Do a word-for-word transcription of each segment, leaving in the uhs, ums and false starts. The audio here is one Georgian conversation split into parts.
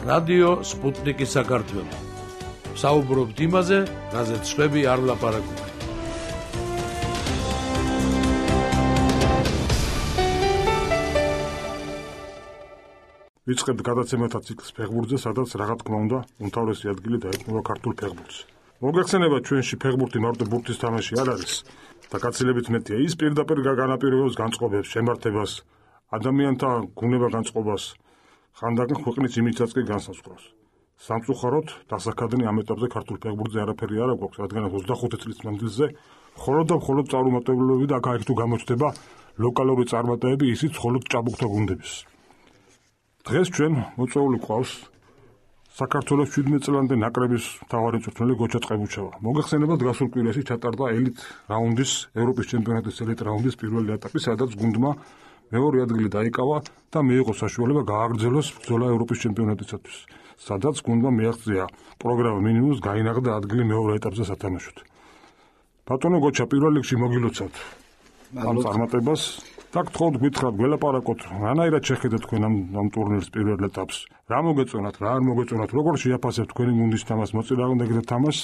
რადიო სპუტნიკი საქართველო. საუბრობთ იმაზე, რაზეც სხვები არ ლაპარაკობენ. ვიწყებთ გადაცემათა ციკლს ფეხბურთზე, სადაც რა თქმა უნდა, უმთავრესი ადგილი დაეთმობა ქართულ ფეხბურთს. მოგეხსენება, ჩვენში ფეხბურთი მარტო ბურთის თამაში არ არის და გაცილებით მეტია ის პირდაპირ განაპირობებს განწყობებს, შემართებას, ადამიანთა გუნება განწყობას, ხანდახან ქვეყნის იმიჯსაც კი განსაზღვრავს. სამწუხაროდ, დასაქადნი ამ ეტაპზე ქართულ ფეხბურთზე არაფერი არ აქვს, რადგან ოცდახუთი წლის მანძილზე მხოლოდ და მხოლოდ წარუმატებლობები და აქ თუ გამოჩნდება ლოკალური წარმატებები, ისიც მხოლოდ ჭაბუკთა გუნდების. დღეს ჩვენ მოწვეული ყავს საქართველოს შვიდმეტ წლამდე ნაკრების მთავარი მწვრთნელი გოჩა წყებუჩევა. მოგეხსენებათ, გასულ კვირაში ჩატარდა ელიტ რაუნდის, ევროპის ჩემპიონატის ელიტ რაუნდის პირველი ეტაპი, სადაც გუნდმა მეორე ადგილი დაიკავა და მიიღო საშუალება გააგრძელოს ბრძოლა ევროპის ჩემპიონატისათვის, სადაც გუნდმა მიაღწია პროგრამა მინიმუმს გაინაღდა ადგილი მეორე ეტაპზე სათამაშოდ. ბატონო გოჩა, პირველ რიგში მოგილოცავთ ამ წარმატებას. და გთხოვთ გითხრათ, გველაპარაკოთ, რანაირად შეხედეთ თქვენ ამ ამ ტურნირის პირველ ეტაპს? რა მოგეწონათ, რა არ მოგეწონათ, როგორ შეაფასებთ თქვენი გუნდის თამაშს, მოწინააღმდეგეთა თამაშს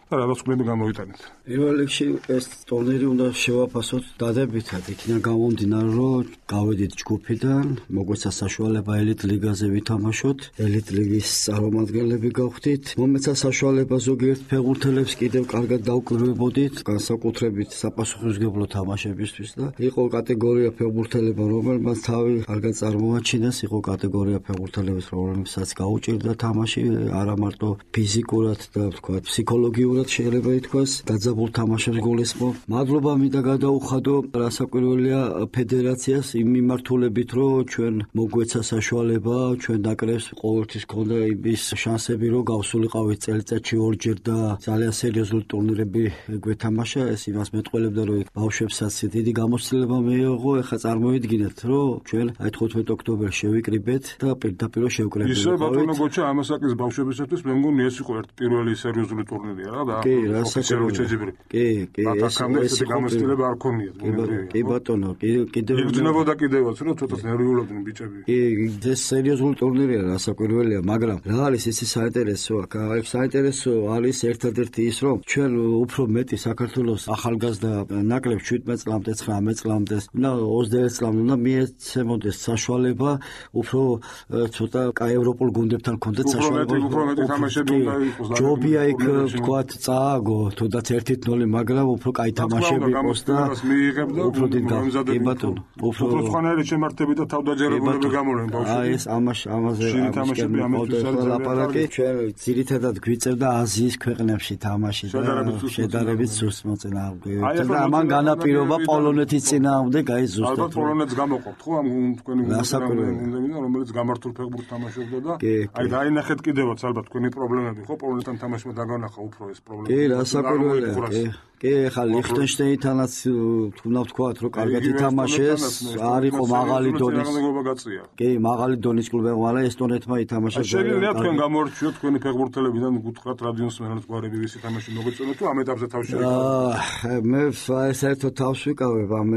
და რა დასკვნები გამოიტანეთ? პირველ რიგში ეს ტურნირი უნდა შევაფასოთ დადებითად, იქიდან გამომდინარე, რომ გავედით ჯგუფიდან, მოგვეცა საშუალება ელიტ ლიგაზე ვითამაშოთ, ელიტ ლიგის წარმომადგენლები გავხდით, მომეცა საშუალება ზოგიერთ ფეხბურთელებს კიდევ კარგად დავკვირვებოდით, განსაკუთრებით საპასუხისმგებლო თამაშებისთვის და იყო კატეგორია ფეხბურთელებმა, რომელმაც თავი კარგად წარმოაჩინეს, იყო კატეგორია ფეხბურთელებს, რომლებსაც გაუჭირდა თამაში, არა მარტო ფიზიკურად და თქვა ფსიქოლოგიურად შეიძლება ითქვას, დაძაბულ თამაშებს გულისხმობ. მადლობა მინდა გადაუხადო რასაკვირველია ფედერაციას იმ მიმართულებით, რომ ჩვენ მოგვეცა საშუალება, ჩვენ ნაკრებს ყოველთვის ჰქონდა იმის შანსები, რომ გავსულიყავით წელიწადში ორჯერ და ძალიან სერიოზული ტურნირები გვეთამაშა. ეს იმას მეტყველებდა, რომ ბავშვებსაც დიდი გამოცდილება მიიღო. ეხლა წარმოიდგინეთ, რომ ჩვენ აი თხუთმეტ ოქტომბერს შევიკრიბეთ და პირდაპირ შევკრებულიყავით. ისე ბატონო გოჩა, ამასაკის ბავშვებისათვის მე მგონი ეს იყო ერთ პირველი სერიოზული ტურნირია რა. კი, რასაკვირველია. კი, კი, ეს ეს გამოცდილება არ ქონიათ. კი ბატონო, კიდევ იგრძნობოდა კიდევაც, რომ ცოტას ნერვიულობდნენ ბიჭები. კი, ეს სერიოზული ტურნირია, რასაკვირველია, მაგრამ რა არის ისი საინტერესო აქ? აი საინტერესო არის ერთადერთი ის, რომ ჩვენ უფრო მეტი საქართველოს ახალგაზრდა ნაკრებს შვიდმეტ წლამდე, ცხრამეტ წლამდე, და ოცდაერთ წლამდე უნდა მიეცემოდეს საშუალება, უფრო ცოტა კაი ევროპულ გუნდებთან კონდეთ საშუალება. უფრო მეტი თამაშები უნდა იყოს. ჯობია იქ ვთქვათ წააგო, თუნდაც ერთ ნული, მაგრამ უფრო კაი თამაშები იყოს და უფრო დიდ გამზადები ბატონო. უფრო სხვანაირი შემართები და თავდაჯერებულები გამოვიდნენ ბავშვები. აი ეს ამას ამაზე თამაშები ამისთვის არის ლაპარაკი. ჩვენ ძირითადად გვიწევდა აზიის ქვეყნებში თამაში და შედარებით სუსტ მოწინააღმდეგეებთან და ამან განაპირობა პოლონეთის წინააღმდეგ აი ზუსტად. ალბათ პოლონეთს გამოყოფთ ხო ამ თქვენი გუნდიდან, რომელიც გამართულ ფეხბურთს თამაშობდა და აი დაინახეთ კიდევაც ალბათ თქვენი პრობლემები ხო პოლონეთთან თამაშმა დაგანახა უფრო ეს პრობლემა. კი, რასაკვირველია, კი. კი, ხა ლიხტენშტეინთანაც თუნდაც ვთქვათ, რომ კარგად ითამაშეს, არ იყო მაღალი დონის. კი, მაღალი დონის კლუბი, მაგრამ ესტონეთმა ითამაშა. შეიძლება თქვენ გამორჩიოთ თქვენი ფეხბურთელებიდან გუთხრათ რადიოს მენელს გვარები ვისი თამაში მოგეწონათ თუ ამ ეტაპზე თავს შევიკავეთ? აა მე საერთოდ თავს ვიკავებ, ამ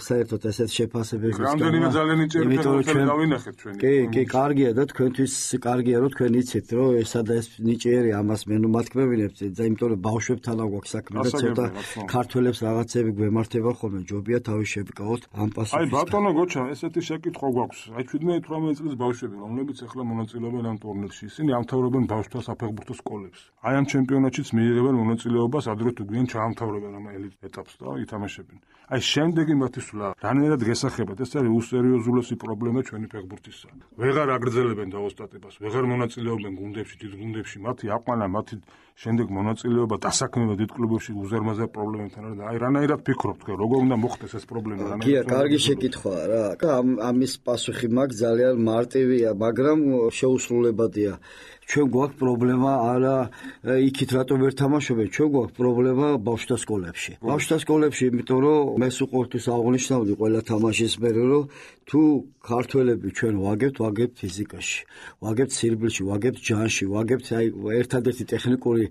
საერთოდ ესეთ შეფასებებს. რამდენიმე ძალიან იჭერი ფეხბურთელი დავინახეთ ჩვენი. კი, კი, კარგია და თქვენთვის კარგია, რომ თქვენ იცით, რომ ესა და ეს ნიჭიერი ამას მე ნუ მათქმევინებთ, იმიტომ რომ ბავშვებთან აგვაქვს საქმე და ცოტა ქართველებს რაღაცები გვემართება ხოლმე, ჯობია თავი შევიკავოთ ამ პასუხის. აი ბატონო გოჩა, ესეთი შეკითხვა გვაქვს. აი შვიდმეტ ათორმეტ წლის ბავშვები, რომლებიც ახლა მონაწილეობენ ამ ტურნირში, ისინი ამთავრებენ ბავშვთა საფეხბურთო სკოლებს. აი ამ ჩემპიონატშიც მიიღებენ მონაწილეობას, ადრე თუ გვიან ჩაამთავრებენ ამ ელიტ ეტაპს და ითამაშებენ. აი შემდეგი მათი სვლა, რანაირად გესახებათ, ეს არის უსერიოზულესი პრობლემა ჩვენი ფეხბურთისა. ვეღარ აგრძელებენ დაოსტატებას, ვეღარ მონაწილეობენ გუნდებში, დიდ გუნდებში, მათი აყვანა, მათი შემდეგ მონაწილეობა დასაქმება დიდ კლუბებში უზარმაზარ პრობლემებთან არის და აი რანაირად ფიქრობთ თქვენ, როგორ უნდა მოხდეს ეს პრობლემა? გია, კარგი შეკითხვაა რა. ამ ამის პასუხი მაქვს ძალიან მარტივია, მაგრამ შეუსრულებადია. ჩვენ გვაქვს პრობლემა არა იქით რატომ ვერ თამაშობენ, ჩვენ გვაქვს პრობლემა ბავშვთა სკოლებში. ბავშვთა სკოლებში, იმიტომ რომ მე სულ აღნიშნავდი ყველა თამაშის მერე, რომ თუ ქართველები ჩვენ ვაგებთ, ვაგებთ ფიზიკაში, ვაგებთ სირბილში, ვაგებთ ჯანში, ვაგებთ აი ერთადერთი ტექნიკური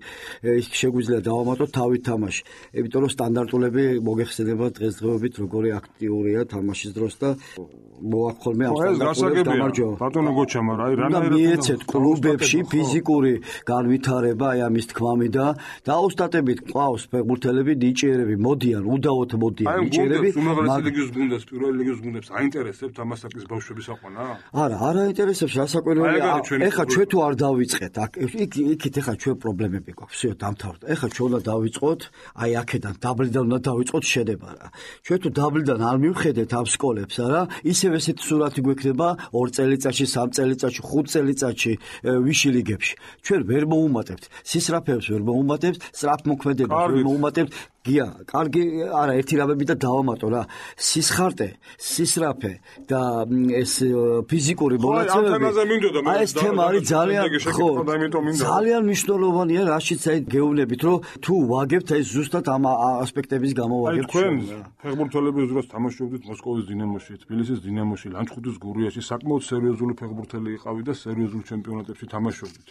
ის შეგვიძლია დავამატოთ თავით თამაში. იმიტომ რომ სტანდარტულები მოგეხსენება დღესდღეობით როგორი აქტიურია თამაშის დროს და მოაქვს ხოლმე ამ სტანდარტულებს გამარჯვება. ბატონო გოჩა, მაგრამ აი რანაირად მიეცეთ კლუბებში ფიზიკური განვითარება, აი ამის თქმამი და დაუსტატებით ყავს ფეხბურთელები, ნიჭიერები მოდიან, უდავოდ მოდიან ნიჭიერები. უმაღლესი ლიგის გუნდებს, პირველი ლიგის გუნდებს აინტერესებთ ამასაკის ბავშვების აყვანა? არა, არ აინტერესებს, რასაკვირველია. ეხლა ჩვენ თუ არ დავიწყეთ, იქ იქით ეხლა ჩვენ პრობლემები გვაქვს, всё დამთავრდა. ეხლა ჩვენ უნდა დავიწყოთ, აი აქედან დაბლიდან უნდა დავიწყოთ შედება რა. ჩვენ თუ დაბლიდან არ მივხედეთ ამ სკოლებს, არა, ისევ ესეთი სურათი გვექნება ორ წელიწადში, სამ წელიწადში, ხუთ წელიწადში ვიში ლიგებში. ჩვენ ვერ მოუმატებთ, სისრაფეებს ვერ მოუმატებთ, სწრაფმოქმედებას ვერ მოუმატებთ. გია, კარგი, არა, ერთი რამები და დავამატო რა. სისხარტე, სისრაფე და ეს ფიზიკური მონაცემები. აი ეს თემა არის ძალიან ხო, ძალიან მნიშვნელოვანია, რაშიც აი გეუბნებით, რომ თუ ვაგებთ აი ზუსტად ამ ასპექტების გამო ვაგებთ. აი თქვენ ფეხბურთელები უძრას თამაშობდით მოსკოვის დინამოში, თბილისის დინამოში, ლანჩხუთის გურიაში, საკმაოდ სერიოზული ფეხბურთელი იყავით და სერიოზულ ჩემპიონატებში თამაშობდით.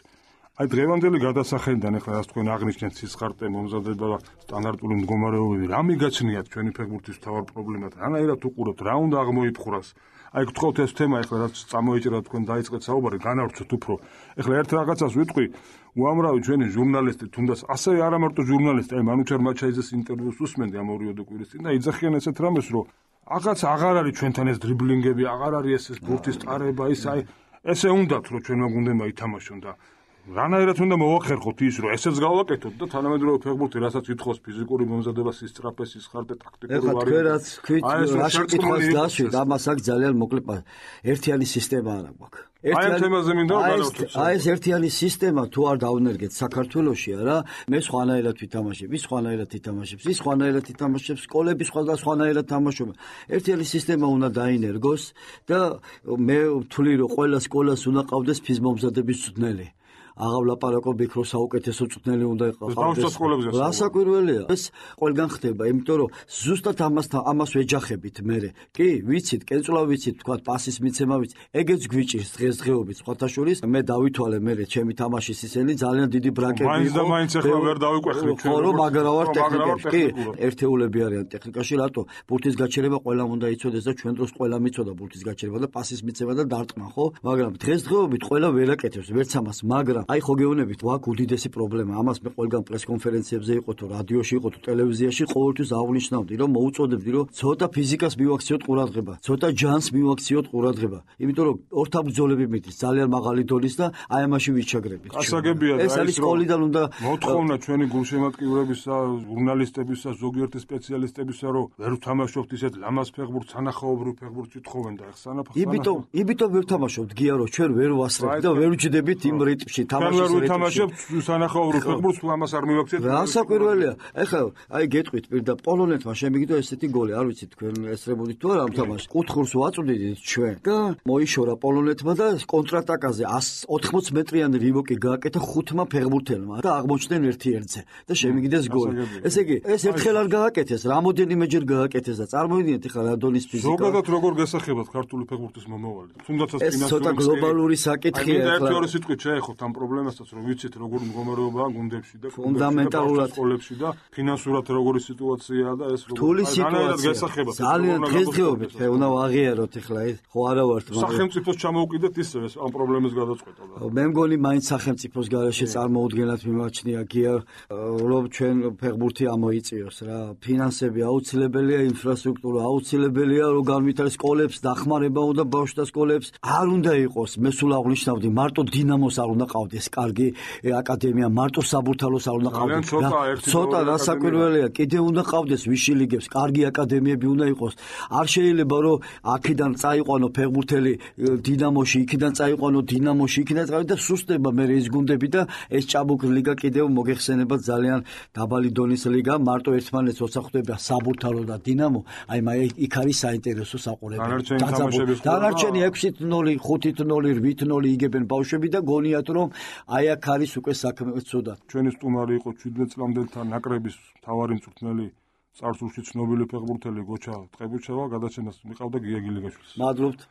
აი დღევანდელი გადასახადიდან ახლა რას თქვენ აღნიშნეთ სისხარტე, მომზადება, სტანდარტული მდგომარეობები, რა მიგაჩნიათ ჩვენი ფეხბურთის მთავარ პრობლემად? რანაირად უყურებთ, რა უნდა აღმოიფხვრას? აი გთხოვთ ეს თემა ახლა რაც წამოიჭრა თქვენ დაიწყეთ საუბარი, განავრცოთ უფრო. ახლა ერთ რაღაცას ვიტყვი, უამრავი ჩვენი ჟურნალისტი, თუნდაც ასევე არა მარტო ჟურნალისტი, აი მანუჩარ მაჩაიძეს ინტერვიუს უსმენდი ამ ორიოდე კვირის წინ და იძახიან ესეთ რამეს, რომ რაღაც აღარ არის ჩვენთან ეს დრიბლინგები, აღარ არის ეს ბურთის ტარება, ის აი ესე უნდათ რომ ჩვენმა გუნდებმა ითამაშონ და რანაირად უნდა მოვახერხოთ ის, რომ ესეც გავაკეთოთ და თანამედროვე ფეხბურთი, რასაც ითხოვს ფიზიკური მომზადება, სისწრაფე, სისხარტე, ტაქტიკური ვარიანტი. ეხლა თქვენ რაც ქვით, რაში კითხვას დაშვით, ამას აქ ძალიან მოკლედ ერთიანი სისტემა არა გვაქვს. აი ამ თემაზე მინდა რომ განავთვალოთ. აი ეს ერთიანი სისტემა თუ არ დავნერგეთ საქართველოში, არა, მე სხვანაირად ვითამაშებ, ის სხვანაირად ითამაშებს, ის სხვანაირად ითამაშებს, სკოლები სხვა სხვანაირად თამაშობენ. ერთიანი სისტემა უნდა დაინერგოს და მე ვთვლი რომ ყველა სკოლას უნდა ყავდეს ფიზმომზადების მწვრთნელი. აღავლაპარაკო ბიქრო საუკეთესო მწვრთნელი უნდა იყავდეს. რასაკვირველია, ეს ყველგან ხდება, იმიტომ რომ ზუსტად ამასთან ამას ვეჯახებით მე. კი, ვიცით, კენწვლა ვიცით, თქვა პასის მიცემა ვიცით. ეგეც გვიჭირს დღესდღეობით სხვათა შორის. მე დავითვალე მე ჩემი თამაშის ისენი ძალიან დიდი ბრაკები იყო. მაინც და მაინც ახლა ვერ დავიკვეხნით ჩვენ. ხო, რომ მაგრა ვარ ტექნიკაში. კი, ერთეულები არიან ტექნიკაში, რატო? ბურთის გაჩერება ყველამ უნდა იცოდეს და ჩვენ დროს ყველა მიცოდა ბურთის გაჩერება და პასის მიცემა და დარტყმა, ხო? მაგრამ დღესდღეობით ყველა ვერ აკეთებს, ვერც ამას, მაგრამ აი ხო გეუბნებით, ვაკ უდიდესი პრობლემა. ამას მე ყველგან პრეს კონფერენციებზე იყო თუ რადიოში იყო თუ ტელევიზიაში ყოველთვის აღნიშნავდი, რომ მოუწოდებდი, რომ ცოტა ფიზიკას მივაქციოთ ყურადღება, ცოტა ჯანს მივაქციოთ ყურადღება. იმიტომ რომ ორთაბრძოლები მიდის ძალიან მაღალი დონის და აი ამაში ვიჩაგრებით. გასაგებია და ეს არის სკოლიდან უნდა მოთხოვნა ჩვენი გულშემატკივრებისა, ჟურნალისტებისა, ზოგიერთი სპეციალისტებისა, რომ ვერ ვთამაშობთ ისეთ ლამაზ ფეხბურთს, სანახაობრივ ფეხბურთს ითხოვენ და ახლა სანახაობრივ. იმიტომ, იმიტომ ვერ ვთამაშობთ გია, რომ ჩვენ ვერ ვასწრებთ და ვერ ვჯდებით იმ რიტმში. თამაშის ვითამაშებთ სანახაობრივ ფეხბურთს, ამას არ მივაქციეთ. რასაკვირველია. ეხლა აი გეტყვით პირდა პოლონეთმა შემიგდო ესეთი გოლი, არ ვიცი თქვენ ესწრებოდით თუ არა ამ თამაშს. კუთხურს ვაწვდით ჩვენ და მოიშორა პოლონეთმა და კონტრატაკაზე ოთხმოც მეტრიანი რივოკი გააკეთა ხუთმა ფეხბურთელმა და აღმოჩნდნენ ერთი ერთზე და შემიგდეს გოლი. ესე იგი, ეს ერთხელ არ გააკეთეს, რამოდენიმეჯერ გააკეთეს და წარმოიდგინეთ ეხლა რა დონის ფიზიკა. ზოგადად როგორ გასახებათ ქართული ფეხბურთის მომავალი? თუნდაც ეს ცოტა გლობალური საკითხია ეხლა. ერთი ორი სიტყვით შეეხოთ ამ პრობლემასაც, რომ ვიცით როგორ მდგომარეობაა გუნდებში და ფუნდამენტალურად სკოლებში და ფინანსურად როგორი სიტუაციაა და ეს რთული სიტუაცია. ძალიან დღესდღეობით უნდა ვაღიაროთ ეხლა ეს ხო არა ვართ მაგრამ სახელმწიფოს ჩამოუყიდეთ ისევ ეს ამ პრობლემის გადაწყვეტა და მე მგონი მაინც სახელმწიფოს გარეშე წარმოუდგენად მიმაჩნია გია რომ ჩვენ ფეხბურთი ამოიწიოს რა ფინანსები აუცილებელია ინფრასტრუქტურა აუცილებელია რომ განვითარდეს სკოლებს დახმარება უნდა ბავშვთა სკოლებს არ უნდა იყოს მე სულ აღნიშნავდი მარტო დინამოს არ უნდა ყავდეს კარგი აკადემია მარტო საბურთალოს არ უნდა ყავდეს ცოტა რასაკვირველია კიდე უნდა ყავდეს ვიში ლიგებს კარგი აკადემიები უნდა იყოს არ შეიძლება რომ აქედან წაიყვანო ფეხბურთელი დინამოში იქიდან წაიყვანო დინამოში იქიდან წავიდა და სუსტება მე ეს გუნდები და ეს ჭაბუკ ლიგა კიდევ მოგეხსენება ძალიან დაბალი დონის ლიგა მარტო ერთმანეთს ოცახდება საბურთალო და დინამო აი მე იქ არის საინტერესო საყურებელი დანარჩენი ექვსი ნული ხუთი ნული რვით ნული იგებენ ბავშვები და გონიათ რომ აი აქ არის უკვე საქმე ცუდა ჩვენი სტუმარი იყო შვიდმეტ წლამდელთა ნაკრების მთავარი მწვრთნელი წარსულში ცნობილი ფეხბურთელი გოჩა ტყებუჩევა გადაცემას მიყავდა გია გილიგაშვილს მადლობთ